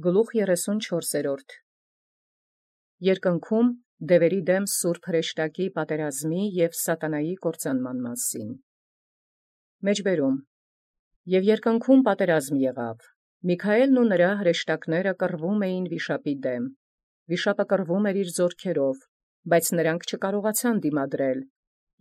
Գլուխ 34 Երկնքում դևերի դեմ սուրբ հրեշտակի պատերազմի և սատանայի կործանման մասին։ Մեջբերում Եւ երկնքում պատերազմ եղավ. Միքայէլն ու նրա հրեշտակները կռվում էին վիշապի դեմ. վիշապը կռվում էր իր ձեռքերով, բայց նրանք չկարողացան դիմադրել,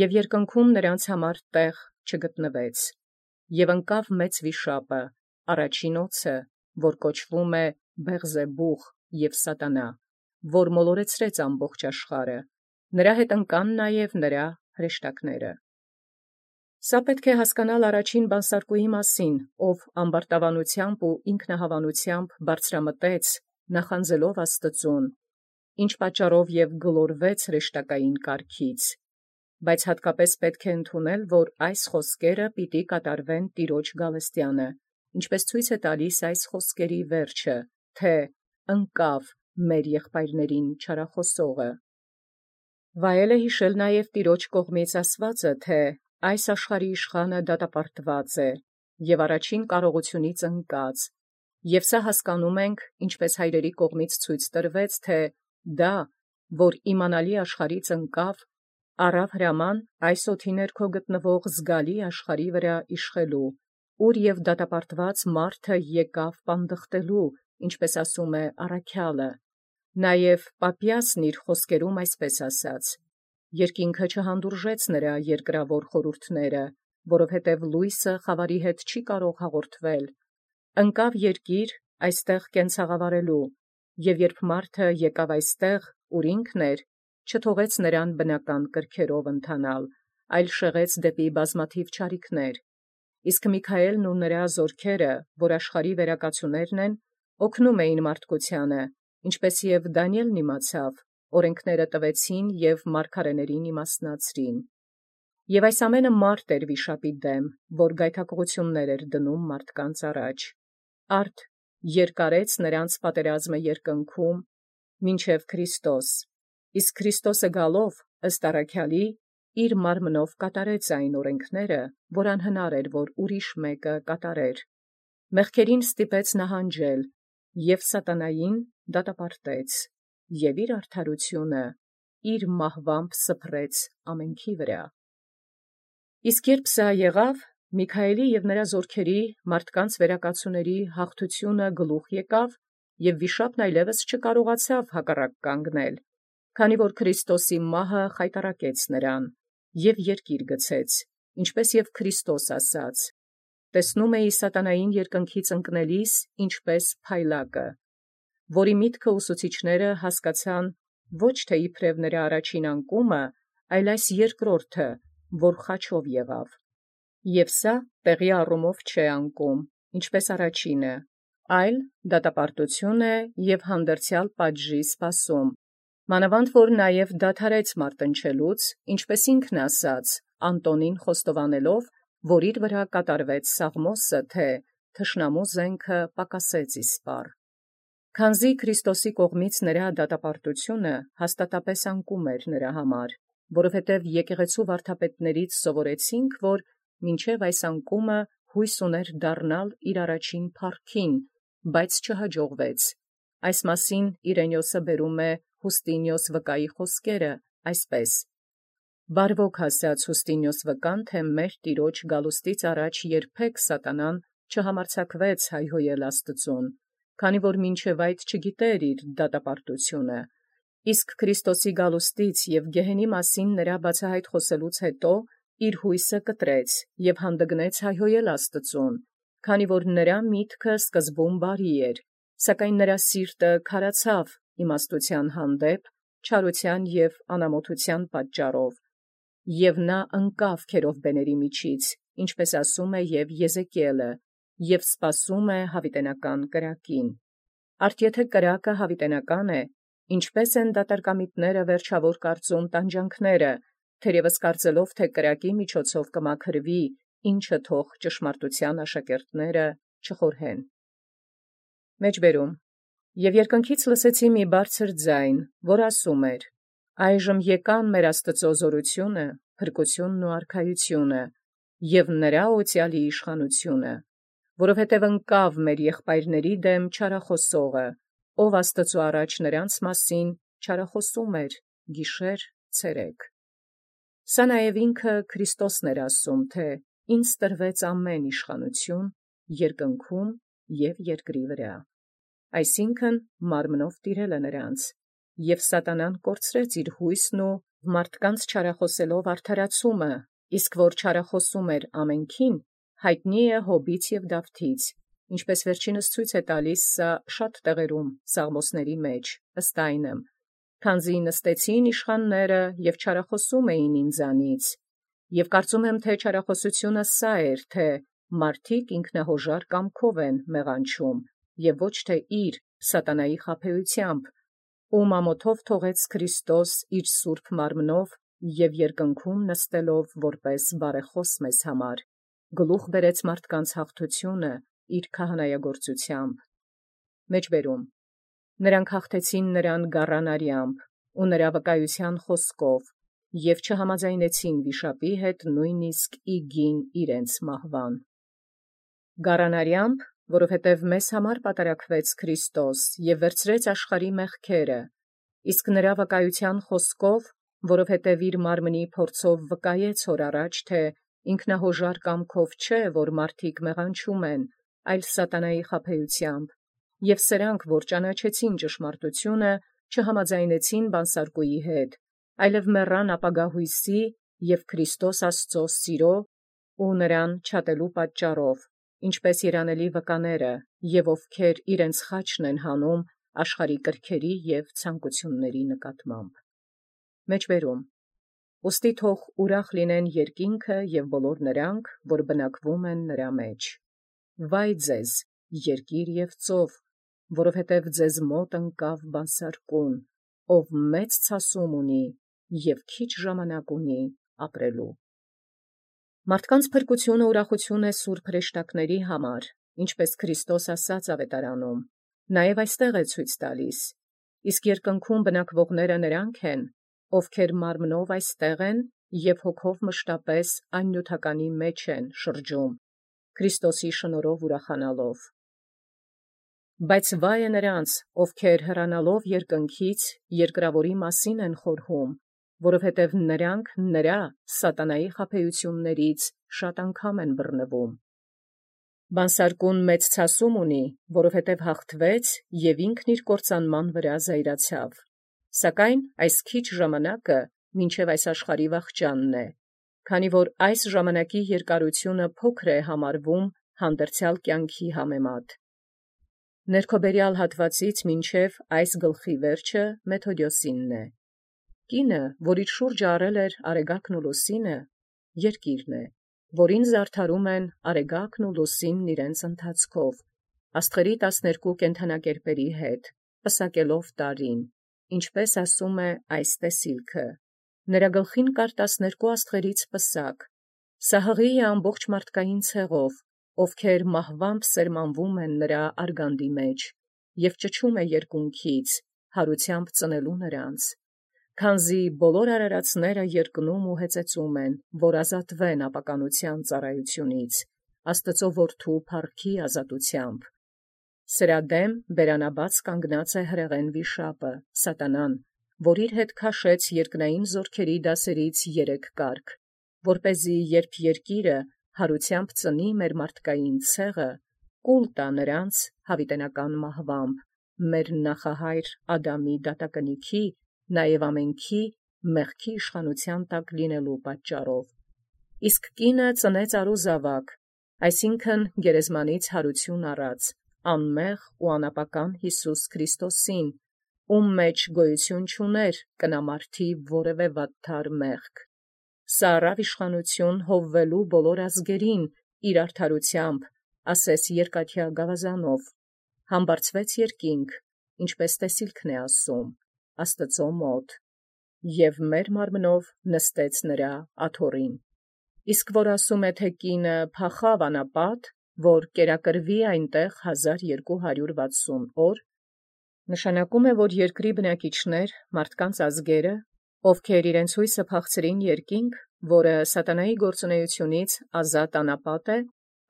եւ երկնքում նրանց համար տեղ չգտնվեց. եւ ընկավ մեծ վիշապը, առաջին օձը, որ կոչվում է Բեղզեբուղ և Սատանա, որ մոլորեցրեց ամբողջ աշխարհը, նրա հետ ընկան նաև նրա հրեշտակները։ Սա պետք է հասկանալ առաջին բանսարկուի մասին, ով ամբարտավանությամբ ու ինքնահավանությամբ բարձրամտեց, նախանձելով Աստծուն, ինչ պատճառով և գլորվեց հրեշտակային կարգից, բայց հատկապես պետք է ընդունել, որ այս խոսքերը պիտի կատարվեն Տիրոջ գալստեանը, ինչպես ցույց է տալիս այս խոսքերի վերջը, թե ընկավ մեր եղբայրներին չարախոսողը։ Վայել է յիշել նաև Տիրոջ կողմից ասվածը, թե այս աշխարհի իշխանը դատապարտված է և առաջին կարողությունից ընկած, և սա հասկանում ենք, ինչպես հայրերի կողմից ցույց տրվեց, թե դա, որ իմանալի աշխարհից ընկավ, առավ հրաման այս օդի ներքո գտնվող զգալի աշխարհի վրա իշխելու, ուր և դատապարտված մարդը եկավ պանդխտելու, ինչպես ասում է առաքյալը, նաև Պապիասն իր խոսքերում այսպես ասաց. երկինքը չհանդուրժեց նրա երկրավոր խորհուրդները, որովհետև լույսը խավարի հետ չի կարող հաղորդվել, ընկավ երկիր այստեղ կենցաղավարելու, և երբ մարդը եկավ այստեղ, ուր ինքն էր, չթողեց նրան բնական կրքերով ընթանալ, այլ շեղեց դեպի բազմաթիվ չարիքներ, իսկ Միքայէլն ու նրա զորքերը, որ աշխարհի վերակացուներն են, օգնում էին մարդկությանը, ինչպես և Դանիէլն իմացավ, օրենքները տվեցին և մարգարեներին իմաստնացրին։ Եւ այս ամենը մարդ էր վիշապի դեմ, որ գայթակղություններ էր դնում մարդկանց առաջ։ Արդ երկարեց նրանց պատերազմը երկնքում, մինչև Քրիստոս, իսկ Քրիստոսը գալով, ըստ առաքյալի, իր մարմնով կատարեց այն օրենքները, որ անհնար էր, որ ուրիշ մեկը կատարեր։ Մեղքերին ստիպեց նահանջել, և սատանային դատապարտեց, և իր արդարությունը իր մահվամբ սփռեց ամենքի վրա։ Իսկ երբ սա եղավ, Միքայէլի և նրա զորքերի մարդկանց վերակացուների հաղթությունը գլուխ եկավ, և վիշապն այլևս չկարողացավ հակառակ կանգնել, քանի որ Քրիստոսի մահը խայտառակեց նրան, և երկիր գցեց, ինչպես և Քրիստոս ասաց. տեսնում էի սատանային երկնքից ընկնելիս ինչպես փայլակը, որի միտքը ուսուցիչները հասկացան ոչ թե իբրև նրա առաջին անկումը, այլ այս երկրորդը, որ խաչով եղավ։ Եվ սա տեղի առումով չէ անկում, ինչպես առաջինը, այլ դատապարտություն է և հանդերձյալ պատժի սպասում, մանավանդ որ նաև դադարեց մարտնչելուց, ինչպես ինքն ասաց, Անտոնին խոստովանելով, որ իր վրա կատարվեց սաղմոսը, թե թշնամու զենքը պակասեց իսպառ։ Քանզի Քրիստոսի կողմից նրա դատապարտությունը հաստատապես անկում էր նրա համար, որովհետև եկեղեցու վարդապետներից սովորեցինք, որ մինչև այս անկումը հույս ուներ դառնալ իր առաջին փառքին, բայց չհաջողվեց։ Այս մասին Իրենիոսը բերում է Հուստինիոս վկայի խոսքերը այսպես. «Բարվոք ասաց Հուստինիոս վկան, թե մեր Տիրոջ գալուստից առաջ երբեք սատանան չհամարձակվեց հայհոյել Աստծուն, քանի որ մինչև այդ չգիտեր իր դատապարտությունը, իսկ Քրիստոսի գալուստից և գեհենի մասին նրա բացահայտ խոսելուց հետո իր հույսը կտրեց և հանդգնեց հայհոյել Աստծուն, քանի որ նրա միտքը սկզբում բարի էր, սակայն նրա սիրտը քարացավ իմաստութեան հանդեպ, չարութեան և անամոթութեան պատճառով, և նա ընկավ քերովբեների միջից, ինչպես ասում է և Եզեկիելը, և սպասում է յաւիտենական կրակին։ Արդ եթե կրակը յաւիտենական է, ինչպէս են դատարկամիտները վերջաւոր կարծում տանջանքները, թերևս կարծելով, թե կրակի միջոցով կմաքրվի, ինչը թող ճշմարտութեան աշակերտները չխորհեն։ Մեջբերում Եւ երկնքից լսեցի մի բարձր ձայն, որ ասում էր. «Այժմ եկան մեր Աստուծոյ զօրութիւնը, փրկութիւնն ու արքայութիւնը, և նրա օծյալի իշխանութիւնը, որովհետև ընկավ մեր եղբայրների դեմ չարախոսողը, ով Աստծու առաջ նրանց մասին չարախոսում էր գիշեր ցերեկ։ Սա նաև ինքը Քրիստոսն էր ասում, թե ինձ տրվեց ամեն իշխանություն երկնքում և երկրի վրա, այսինքն մարմնով տիրելը նրանց, և սատանան կորցրեց իր հույսն ու մարդկանց չարախոսելով արդարացումը, իսկ որ չարախոսում էր ամենքին, հայտնի է Հոբից և Դավթից, ինչպես վերջինս ցույց է տալիս սա շատ տեղերում Սաղմոսների մեջ, ըստ այնմ, քանզի նստեցին իշխանները և չարախոսում էին ինձանից, և կարծում եմ, թե չարախոսությունը սա էր, թե մարդիկ ինքնահոժար կամքով են մեղանչում, և ոչ թե իր սատանայի խաբեությամբ, ում ամոթով թողեց Քրիստոս իր սուրբ մարմնով և երկնքում նստելով որպես բարեխոս մեզ համար, գլուխ բերեց մարդկանց հաղթությունը իր քահանայագործությամբ։ Մեջբերում. նրանք հաղթեցին նրան գառանարյամբ ու նրա վկայության խոսքով և չհամաձայնեցին վիշապի հետ նույնիսկ ի գին իրենց մահվան։ Գառանարյամբ, որովհետև մեզ համար պատարակվեց Քրիստոս և վերցրեց աշխարհի մեղքերը, իսկ նրա վկայության խոսքով, որովհետև իր մարմնի փորձով վկայեց հոր առաջ, թե ինքնահոժար կամքով չէ, որ մարդիկ մեղանչում են, այլ սատանայի խաբեությամբ, և սրանք, որ ճանաչեցին ճշմարտությունը, չհամաձայնեցին բանսարկուի հետ, այլև մեռան ապագա հույսի և Քրիստոս Աստծո սիրո ու նրան չատելու պատճառով, ինչպես երանելի վկաները, և ովքեր իրենց խաչն են հանում աշխարհի կրքերի և ցանկությունների նկատմամբ։ Մեջբերում. ուստի թող ուրախ լինեն երկինքը և բոլոր նրանք, որ բնակվում են նրա մեջ։ Վայ ձեզ, երկիր և ծով, որովհետև ձեզ մոտ ընկավ բանսարկուն, ով մեծ ցասում ունի և քիչ ժամանակ ունի ապրելու։ Մարդկանց փրկությունը ուրախություն է սուրբ հրեշտակների համար, ինչպես Քրիստոս ասաց ավետարանում, նաև այստեղ է ցույց տալիս, իսկ երկնքում բնակվողները նրանք են, ովքեր մարմնով այստեղ են և հոգով մշտապես այն նյութականի մեջ են շրջում, Քրիստոսի շնորհով ուրախանալով։ Բայց վայ է նրանց, ովքեր հեռանալով երկնքից երկրավորի մասին են խորհում, որովհետև նրանք նրա սատանայի խաբեություններից շատ անգամ են բռնվում։ Բանսարկուն մեծ ցասում ունի, որովհետև հաղթվեց և ինքն իր կործանման վրա զայրացավ, սակայն այս քիչ ժամանակը մինչև այս աշխարհի վախճանն է, քանի որ այս ժամանակի երկարությունը փոքր է համարվում հանդերձյալ կյանքի համեմատ։ Ներքոբերյալ հատվածից մինչև այս գլխի վերջը Մեթոդիոսինն է։ Կինը, որ իր շուրջը առել էր Արեգակն ու Լուսինը, երկիրն է, որին զարդարում են Արեգակն ու Լուսինն իրենց ընթացքով, աստղերի 12 կենդանակերպերի հետ, պսակելով տարին, ինչպես ասում է այս տեսիլքը. նրա գլխին կար 12 աստղերից պսակ, սա հղի է ամբողջ մարդկային ցեղով, ովքեր մահվամբ սերմանվում են նրա արգանդի մեջ, և ճչում է երկունքից, հարությամբ ծնելու նրանց, քանզի բոլոր արարածները երկնում ու հեծեծում են, որ ազատվեն ապականության ծառայությունից, Աստծո որդու փառքի ազատությամբ։ Սրա դեմ բերանաբաց կանգնած է հրեղեն վիշապը, սատանան, որ իր հետ քաշեց երկնային զորքերի դասերից 3 կարգ, որպեսզի երբ երկիրը հարությամբ ծնի մեր մարդկային ցեղը, կուլ տա նրանց հավիտենական մահվամբ, մեր նախահայր Ադամի դատակնիքի, նաև ամենքի մեղքի իշխանության տակ լինելու պատճառով։ Իսկ կինը ծնեց արուզավակ, այսինքն գերեզմանից հարություն առած, անմեղ ու անապական Յիսուս Քրիստոսին, ում մեջ գոյություն չուներ կնամարդի որևէ վատթար մեղք։ Սա առավ իշխանություն հովվելու բոլոր ազգերին իր արդարությամբ, ասես երկաթյա գավազանով, համբարձվեց երկինք, ինչպես տեսիլքն է ասում, Աստծո մոտ, և մեր մարմնով նստեց նրա աթոռին։ Իսկ որ ասում է, թե կինը փախավ անապատ, որ կերակրվի այնտեղ 1260 օր, նշանակում է, որ երկրի բնակիչներ, մարդկանց ազգերը, ովքեր իրենց հույսը փախցրին երկինք, որը սատանայի գործունեությունից ազատ անապատ է,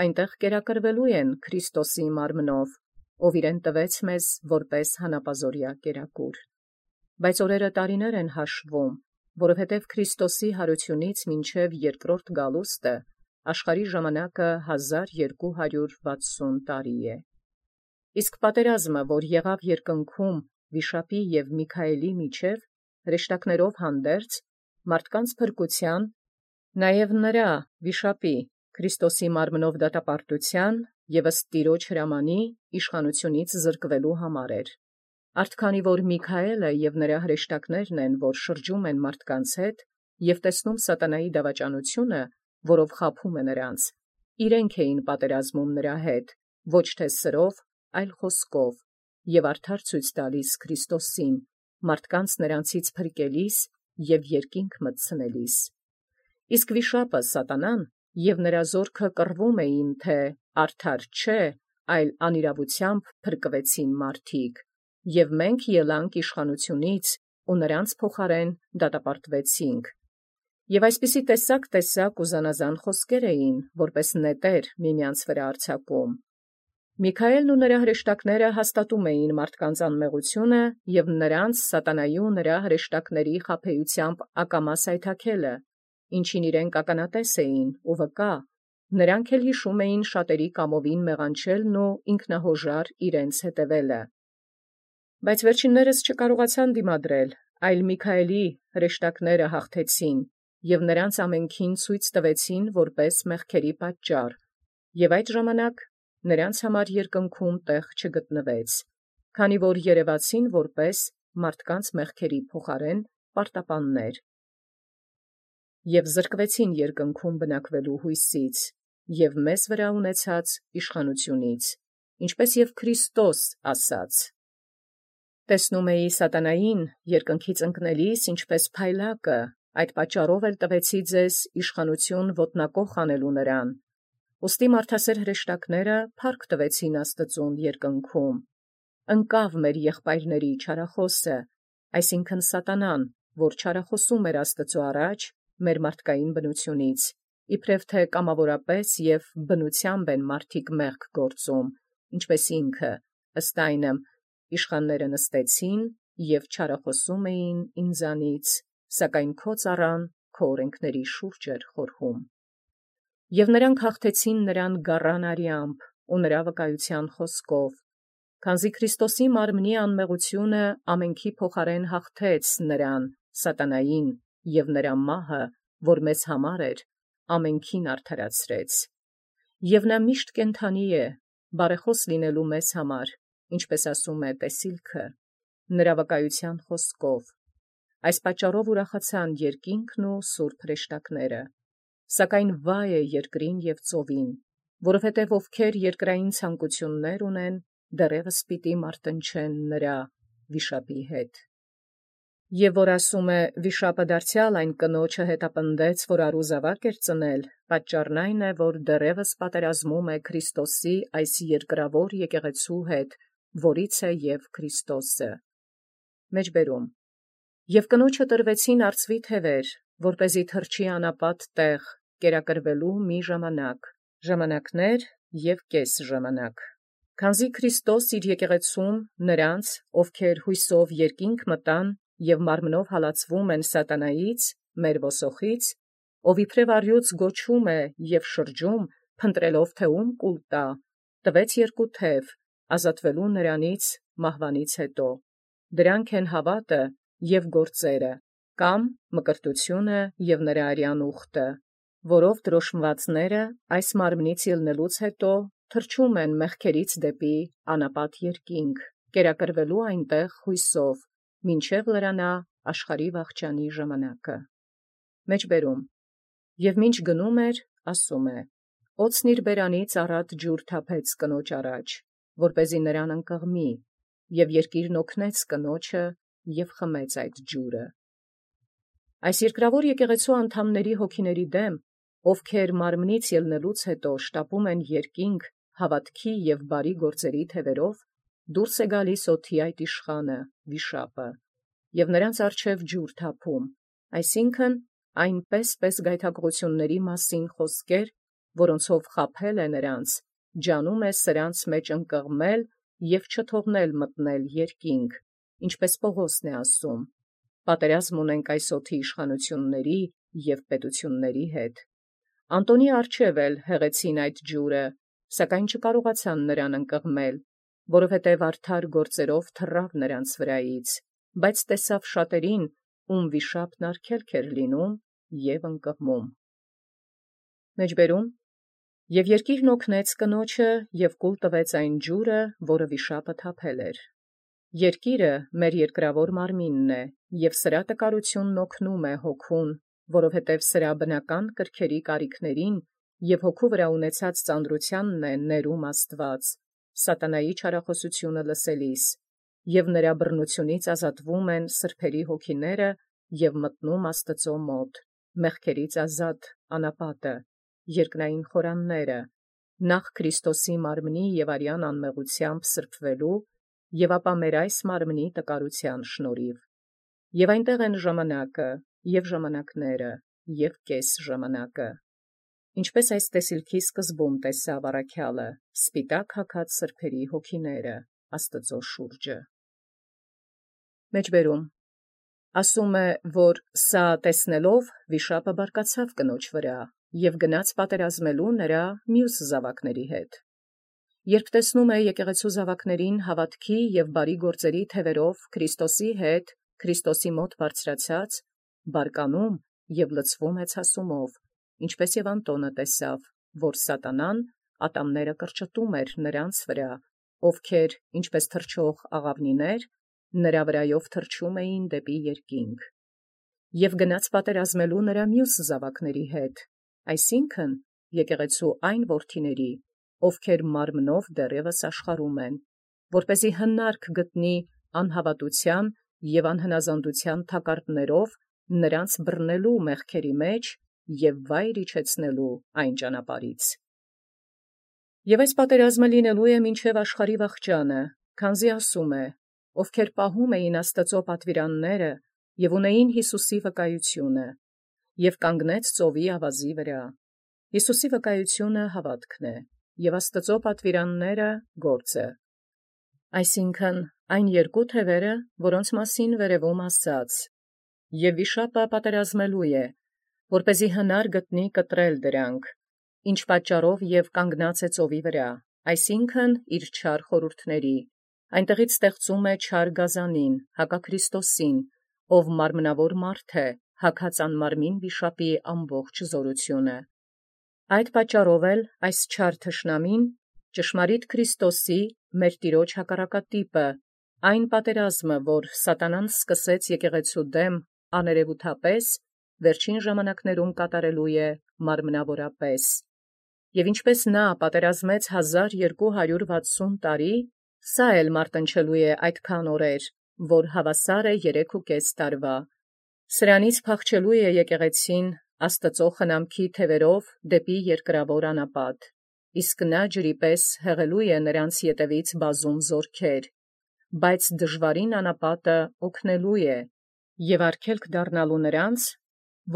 այնտեղ կերակրվելու են Քրիստոսի մարմնով, ով իրեն տվեց մեզ որպես հանապազորյա կերակուր։ Բայց օրերը տարիներ են հաշվում, որովհետև Քրիստոսի հարությունից մինչև երկրորդ գալուստը աշխարհի ժամանակը 1260 տարի է։ Իսկ պատերազմը, որ եղավ երկնքում Վիշապի և Միքայելի միջև, հրեշտակներով հանդերձ, մարդկանց փրկության, նաև նրա Վիշապի Քրիստոսի մարմնով դատապարտության և ըստ Տիրոջ հրամանի իշխանությունից զրկվելու համար էր։ Արդ քանի որ Միքայելը և նրա հրեշտակներն են, որ շրջում են մարդկանց հետ և տեսնում սատանայի դավաճանությունը, որով խաբում է նրանց, իրենք էին պատերազմում նրա հետ, ոչ թե սրով, այլ խոսքով, և արդար ցույց տալիս Քրիստոսին, մարդկանց նրանցից փրկելիս և երկինք մտցնելիս։ Իսկ վիշապը սատանան և նրա զորքը կռվում էին, թե արդար չէ, այլ անիրավությամբ փրկվեցին մարդիկ, և մենք ելանք իշխանությունից ու նրանց փոխարեն դատապարտվեցինք։ Եւ այսպիսի տեսակ ու զանազան խոսքեր էին, որպես նետեր միմյանց վրա արձակում։ Միքայելն ու նրա հրեշտակները հաստատում էին մարդկանց անմեղությունը և նրանց սատանայի ու նրա հրեշտակների խաբեությամբ ակամա սայթաքելը, ինչին իրենք ականատես էին ու վկա, նրանք էլ հիշում էին շատերի կամովին մեղանչելն ու ինքնահոժար իրենց հետևելը։ Բայց վերջիններս չկարողացան դիմադրել, այլ Միքայելի հրեշտակները հաղթեցին և նրանց ամենքին ցույց տվեցին որպես մեղքերի պատճառ, և այդ ժամանակ նրանց համար երկնքում տեղ չգտնվեց, քանի որ երևացին որպես մարդկանց մեղքերի փոխարեն պարտապաններ, և զրկվեցին երկնքում բնակվելու հույսից և մեզ վրա ունեցած իշխանությունից, ինչպես և Քրիստոս ասաց. «Տեսնում էի սատանային երկնքից ընկնելիս ինչպես փայլակը, այդ պատճառով էլ տվեցի ձեզ իշխանություն ոտնակոխ անելու նրան։ Ուստի մարդասեր հրեշտակները փառք տվեցին Աստծուն երկնքում։ Ընկավ մեր եղբայրների չարախոսը, այսինքն սատանան, որ չարախոսում էր Աստծու առաջ մեր մարդկային բնությունից, իբրև թե կամավորապես և բնությամբ են մարդիկ մեղք գործում, ինչպես ինքը, ըստ այնմ, իշխանները նստեցին և չարախոսում էին ինձանից, սակայն քո ծառան քո օրենքների շուրջ էր խորհում։ Եվ նրանք հաղթեցին նրան գառան արյամբ ու նրա վկայության խոսքով, քանզի Քրիստոսի մարմնի անմեղությունը ամենքի փոխարեն հաղթեց նրան, սատանային, և նրա մահը, որ մեզ համար էր, ամենքին արդարացրեց։ Եվ նա միշտ կենդանի է, բարեխոս լինելու մեզ համար, ինչպես ասում է Տեսիլքը, նրա վկայության խոսքով։ Այս պատճառով ուրախացան երկինքն ու սուրբ հրեշտակները։ Սակայն վայ է երկրին և ծովին, որովհետև ովքեր երկրային ցանկություններ ունեն, դեռևս պիտի մարտնչեն նրա վիշապի հետ։ Եվ որ ասում է վիշապը դարձյալ այն կնոջը հետապնդեց, որ առուզավակ էր ծնել, պատճառն այն է, որ դեռևս պատերազմում է Քրիստոսի այս երկրավոր եկեղեցու հետ, որից է և Քրիստոսը։ Մեջբերում. Եվ կնոջը տրվեցին արծվի թևեր, որպեսզի թռչի անապատ տեղ, կերակրվելու մի ժամանակ, ժամանակներ և կես ժամանակ։ Քանզի Քրիստոս իր եկեղեցում նրանց, ովքեր հույսով երկինք մտան և մարմնով հալածվում են սատանայից, մեր ոսոխից, ով իբրև առյուծ գոչում է և շրջում, փնտրելով թե ում կուլ տա, տվեց երկու թև, ազատվելու նրանից մահվանից հետո։ Դրանք են հավատը և գործերը, կամ մկրտությունը և նրա արյան ուխտը, որով դրոշմվածները այս մարմնից ելնելուց հետո թռչում են մեղքերից դեպի անապատ երկինք, կերակրվելու այնտեղ հույսով, մինչև լրանա աշխարհի վախճանի ժամանակը։ Մեջբերում. Եվ մինչ գնում էր, ասում է. «Օձն իր բերանից առատ ջուր թափեց կնոջ առաջ, որպեսզի նրան ընկղմի, և երկիրն օգնեց կնոջը և խմեց այդ ջուրը»։ Այս երկրավոր եկեղեցու անդամների հոգիների դեմ, ովքեր մարմնից ելնելուց հետո շտապում են երկինք հավատքի և բարի գործերի թևերով, դուրս է գալիս օդի այդ իշխանը, վիշապը, և նրանց առջև ջուր թափում, այսինքն այնպես գայթակղությունների մասին խոսքեր, որոնցով խաբել է նրանց, ջանում է սրանց մեջ ընկղմել և չթողնել մտնել երկինք, ինչպես Պողոսն է ասում. պատերազմ ունենք այս օդի իշխանությունների և պետությունների հետ։ Անտոնի առջև էլ հեղեցին այդ ջուրը, սակայն չկարողացան նրան ընկղմել, որովհետև արդար գործերով թռավ նրանց վրայից, բայց տեսավ շատերին, ում վիշապն արգելք էր լինում և ընկղմում։ Եւ երկիրն օգնեց կնոջը և կուլ տվեց այն ջուրը, որը վիշապը թափել էր։ Երկիրը մեր երկրավոր մարմինն է, և սրա տկարութիւնն օգնում է հոգուն, որովհետև սրա բնական կրքերի կարիքներին և հոգու վրա ունեցած ծանրությանն է ներում Աստուած, սատանայի չարախոսությունը լսելիս, և նրա բռնությունից ազատվում են սրբերի հոգիները և մտնում Աստուծոյ մոտ, մեղքերից ազատ անապատը, երկնային խորանները, նախ Քրիստոսի մարմնի և արյան անմեղութեամբ սրբվելու և ապա մեր այս մարմնի տկարութեան շնորհիվ։ Եւ այնտեղ են ժամանակը և ժամանակները և կես ժամանակը, ինչպես այս տեսիլքի սկզբում տեսավ առաքյալը, սպիտակ հագած սրբերի հոգիները Աստուծոյ շուրջը։ Ասում է, որ սա տեսնելով վիշապը բարկացավ կնոջ վրա և գնաց պատերազմելու նրա մյուս զաւակների հետ։ Երբ տեսնում է եկեղեցու զաւակներին հաւատքի և բարի գործերի թևերով Քրիստոսի հետ, Քրիստոսի մոտ բարձրացած, բարկանում և լցվում է ցասումով, ինչպես և Անտոնը տեսավ, որ սատանան ատամները կրճտում էր նրանց վրա, ովքեր, ինչպես թռչող աղաւնիներ, նրա վրայով թռչում էին դեպի երկինք։ Եւ գնաց պատերազմելու նրա մյուս զաւակների հետ, այսինքն եկեղեցու այն որդիների, ովքեր մարմնով դեռևս աշխարհում են, որպեսզի հնարք գտնի անհավատութեան և անհնազանդութեան թակարդներով նրանց բռնելու մեղքերի մեջ և վայր իջեցնելու այն ճանապարհից։ Եւ այս պատերազմը լինելու է մինչև աշխարհի վախճանը, քանզի ասում է. ովքեր պահում էին Աստուծոյ պատվիրանները և ունեին Յիսուսի վկայությունը, և կանգնեց ծովի ավազի վրա։ Յիսուսի վկայությունը հաւատքն է, և Աստուծոյ պատվիրանները գործը։ Այսինքն այն երկու թևերը, որոնց մասին վերևում ասաց. և վիշապը պատերազմելու է, որպեսզի հնար գտնի կտրել դրանք, ինչ պատճառով և կանգնած է ծովի վրա, այսինքն իր չար խորհուրդների, այնտեղից ստեղծում է չար գազանին, հակաքրիստոսին, ով մարմնավոր մարդ է, հագած անմարմին վիշապի ամբողջ զօրութիւնը։ Այդ պատճառով էլ այս չար թշնամին, ճշմարիտ Քրիստոսի, մեր Տիրոջ հակառակատիպը, այն պատերազմը, որ սատանան սկսեց եկեղեցու դեմ աներևութապես, վերջին ժամանակներում կատարելու է մարմնավորապես։ Եւ ինչպես նա պատերազմեց 1260 տարի, սա էլ մարտնչելու է այդքան օրեր, որ հաւասար է 3.5 տարվա։ Սրանից փախչելու է եկեղեցին Աստուծոյ խնամքի թևերով դեպի երկրավոր անապատ, իսկ նա ջրի պես հեղելու է նրանց ետևից բազում զորքեր, բայց դժուարին անապատը օգնելու է և արգելք դառնալու նրանց,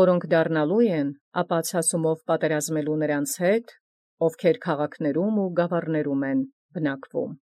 որոնք դառնալու են ապա ցասումով պատերազմելու նրանց հետ, ովքեր քաղաքներում ու գաւառներում են բնակվում։